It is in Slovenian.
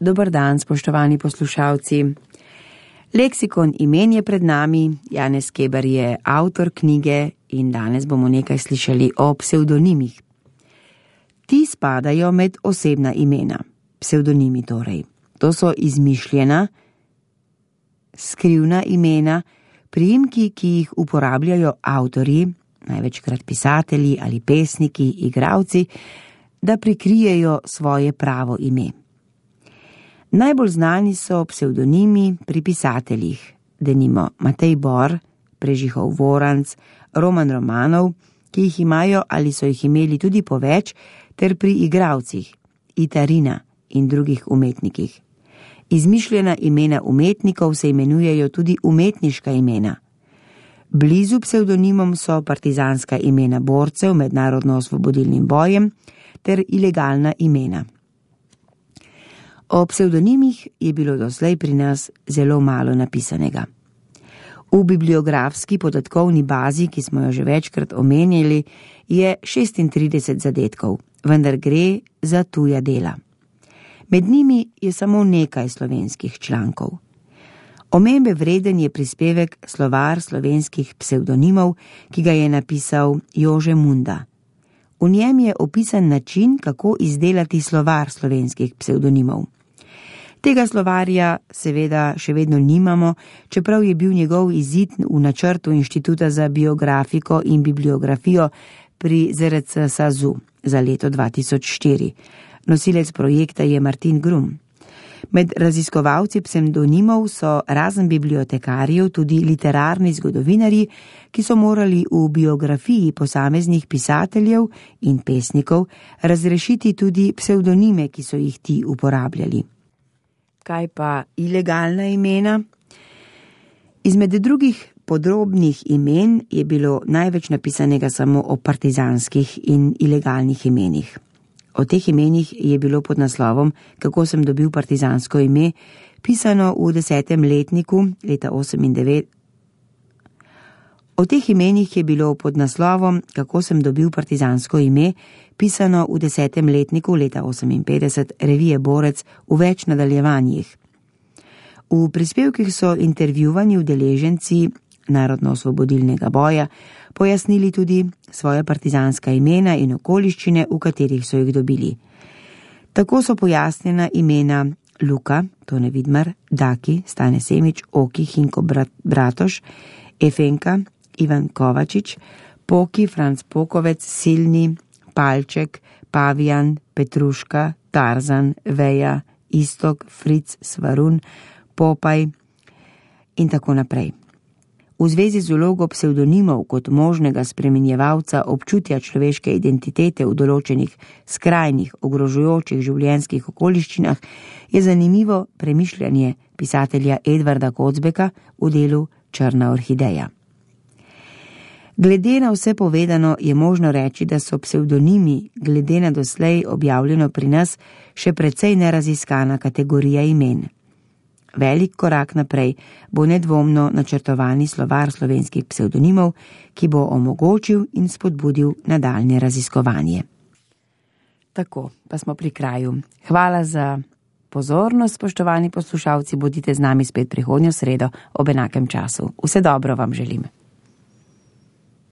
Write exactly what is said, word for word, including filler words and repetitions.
Dober dan, spoštovani poslušalci. Leksikon imen je pred nami, Janez Keber je avtor knjige in danes bomo nekaj slišali o psevdonimih. Ti spadajo med osebna imena, psevdonimi torej. To so izmišljena, skrivna imena, priimki, ki jih uporabljajo avtorji, največkrat pisatelji ali pesniki, igralci, da prikrijejo svoje pravo ime. Najbolj znani so psevdonimi pri pisateljih, denimo Matej Bor, Prežihov Voranc, Roman Romanov, ki jih imajo ali so jih imeli tudi po več, ter pri igralcih, Itarina in drugih umetnikih. Izmišljena imena umetnikov se imenujejo tudi umetniška imena. Blizu psevdonimom so partizanska imena borcev med narodno-osvobodilnim bojem ter ilegalna imena. O psevdonimih je bilo doslej pri nas zelo malo napisanega. V bibliografski podatkovni bazi, ki smo jo že večkrat omenjali, je šestintrideset zadetkov, vendar gre za tuja dela. Med njimi je samo nekaj slovenskih člankov. Omembe vreden je prispevek Slovar slovenskih psevdonimov, ki ga je napisal Jože Munda. V njem je opisan način, kako izdelati slovar slovenskih psevdonimov. Tega slovarja seveda še vedno nimamo, čeprav je bil njegov izid v načrtu Inštituta za biografiko in bibliografijo pri Z R C SAZU za leto dva tisoč štiri. Nosilec projekta je Martin Grum. Med raziskovalci psevdonimov so razen bibliotekarjev tudi literarni zgodovinarji, ki so morali v biografiji posameznih pisateljev in pesnikov razrešiti tudi psevdonime, ki so jih ti uporabljali. Kaj pa ilegalna imena? Izmed drugih podrobnih imen je bilo največ napisanega samo o partizanskih in ilegalnih imenih. O teh imenih je bilo pod naslovom Kako sem dobil partizansko ime pisano v desetem letniku leta osemindevetdeset. O teh imenih je bilo pod naslovom Kako sem dobil partizansko ime pisano v desetem letniku leta oseminpetdeset revije Borec v več nadaljevanjih. V prispevkih so intervjuvani udeleženci narodno-osvobodilnega boja pojasnili tudi svoje partizanska imena in okoliščine, v katerih so jih dobili. Tako so pojasnjena imena Luka, Tone Vidmar, Daki, Stane Semič, Oki, Hinko Bratoš, Efenka, Ivan Kovačič, Poki, Franc Pokovec, Silni, Palček, Pavijan, Petruška, Tarzan, Veja, Istok, Fric, Svarun, Popaj in tako naprej. V zvezi z vlogo psevdonimov kot možnega spremenjevalca občutja človeške identitete v določenih skrajnih, ogrožujočih življenjskih okoliščinah je zanimivo premišljanje pisatelja Edvarda Kocbeka v delu Črna orhideja. Glede na vse povedano je možno reči, da so psevdonimi, glede na doslej objavljeno pri nas, še precej neraziskana kategorija imen. Velik korak naprej bo nedvomno načrtovani slovar slovenskih psevdonimov, ki bo omogočil in spodbudil nadaljnje raziskovanje. Tako, pa smo pri kraju. Hvala za pozornost, spoštovani poslušalci, bodite z nami spet prihodnjo sredo ob enakem času. Vse dobro vam želim.